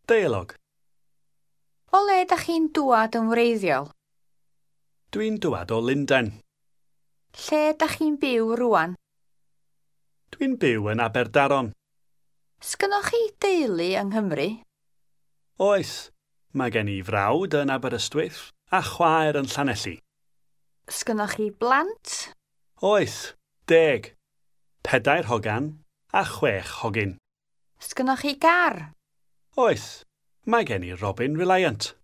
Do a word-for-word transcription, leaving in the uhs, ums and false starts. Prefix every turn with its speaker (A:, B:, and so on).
A: Deialog.
B: O le dach chi'n dŵad yn wreiddiol?
A: Dwi'n dŵad o Lundain.
B: Lle dach chi'n byw rŵan?
A: Dwi'n byw yn Aberdaron.
B: Sgynnoch chi deulu yng Nghymru?
A: Oes, mae gen i frawd yn Aberystwyth a chwaer yn Llanelli.
B: Sgynnoch chi blant?
A: Oes, deg. Pedair hogan a chwech hogyn.
B: Sgynnoch chi gar?
A: Oes, mae gen i Robin Reliant.